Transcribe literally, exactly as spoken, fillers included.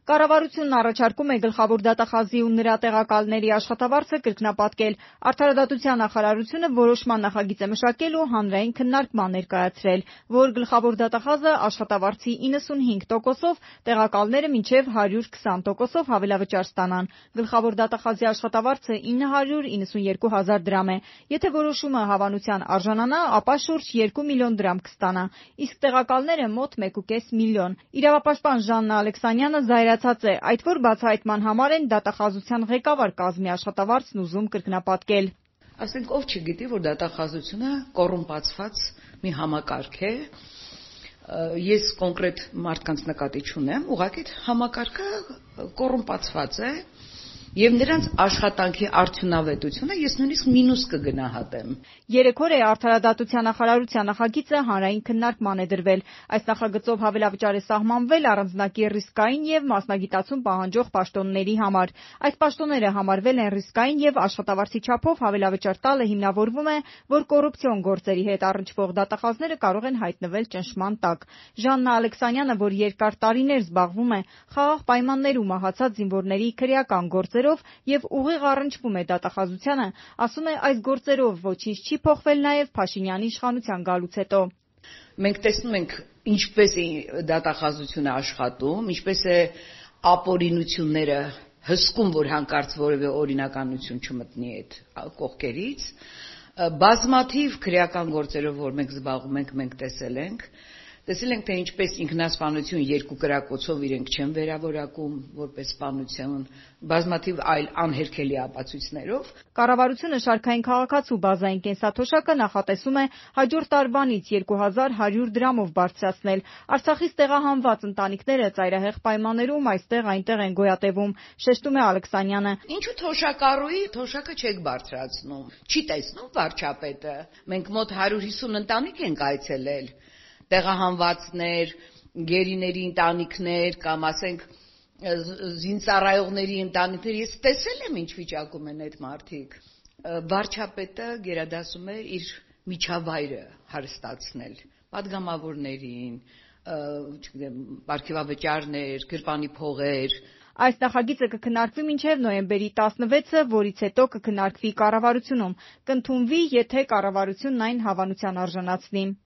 Կառավարությունն առաջարկում է գլխավոր դատախազի ու նրա տեղակալների աշխատավարձը կրկնապատկել։ Արդարադատության նախարարությունը որոշման նախագիծ է մշակել ու հանրային քննարկման ներկայացրել, որ գլխավոր դատախազը աշխատավարձի իննսունհինգ տոկոսով, տեղակալները մինչև հարյուր քսան տոկոսով հավելավճար ստանան։ Գլխավոր դատախազի աշխատավարձը ինը հարյուր իննսունյոթ հազար դրամ է։ Եթե որոշումը հավանության արժանանա, ապա շուրջ երկու միլիոն դրամ կստանա, իսկ տեղակալները մոտ մեկ ու կես միլիոն։ Իրավապաշտպան Ժաննա Ալեքսանյանը զայրացած է, այդ որ բացահայտման համար են դատախազության ղեկավար կազմի աշխատավարձն ուզում կրկնապատկել։ Ասենք ով չգիտի, որ դատախազությունը կոռումպացված մի համակարգ է։ Ես կոնկրետ մարդկանց նկատի չունեմ, ուղղակի համակարգը կոռումպացված է եւ նրանց աշխատանքի արդյունավետությունը ես նույնիսկ մինուս կգնահատեմ։ Երեք օր է արդարադատության նախարարության նախագիծը հանրային քննարկման է դրվել։ Այս նախագծով հավելավճար է սահմանվել առանձնակի ռիսկային եւ մասնագիտացում պահանջող պաշտոնների համար։ Այս պաշտոնները համարվել են ռիսկային եւ աշխատավարձի չափով հավելավճար տալը հիմնավորվում է, որ կոռուպցիոն գործերի հետ առնչվող դատախազները կարող են հայտնվել ճնշման տակ։ Ժաննա Ալեքսանյանը, որ երկար տարիներ զբաղվում է խաղաղ պայմաններում մահացած զինվորների քրեական գործերով եւ ուղիղ առնչվում է դատախազությանը, ասում է այս գործերով ոչինչ չի փոխվել նաեւ Փաշինյանի իշխանության գալուց հետո։ Մենք տեսնում ենք ինչպես է դատախազությունը աշխատում, ինչպես է ապօրինությունները հսկում, որ հանկարծ որևէ օրինականություն չմտնի այդ կողքերից։ Բազմաթիվ քրեական գործերով, որ մենք զբաղվում ենք, մենք տեսել ենք։ Տեսել ենք, թե ինչպես ինքնասպանություն երկու կրակոցով իրենք չեն վերավորակում որպես սպանություն, բազմաթիվ այլ անհերքելի ապացույցներով։ Կառավարությունը շարքային քաղաքացու բազային կենսաթոշակը նախատեսում է հաջորդ տարվանից երկու հազար հարյուր դրամով բարձրացնել։ Արցախից տեղահանված ընտանիքները ծայրահեղ պայմաններում այստեղ-այնտեղ են գոյատևում, շեշտում է Ալեքսանյանը։ Ինչու թոշակառուի թոշակը չեք բարձրացնում։ Չի տեսնում վարչապետը։ Մենք մոտ հարյուր հիսուն ընտանիք ենք այցելել։ Տեղահանվածներ, գերիների ընտանիքներ կամ ասենք զինծառայողների ընտանիքներ, ես տեսել եմ ինչ վիճակում են այդ մարդիկ։ Վարչապետը գերադասում է իր միջավայրը հարստացնել պատգամավորներին, չգիտեմ, պարգևավճարներ, գրպանի փողեր։ Այս նախագիծը կքննարկվի մինչև նոյեմբերի տասնվեցը, որից հետո կքննարկվի կառավարությունում, կընդունվի, եթե կառավարությունն այն հավանության արժանացնի։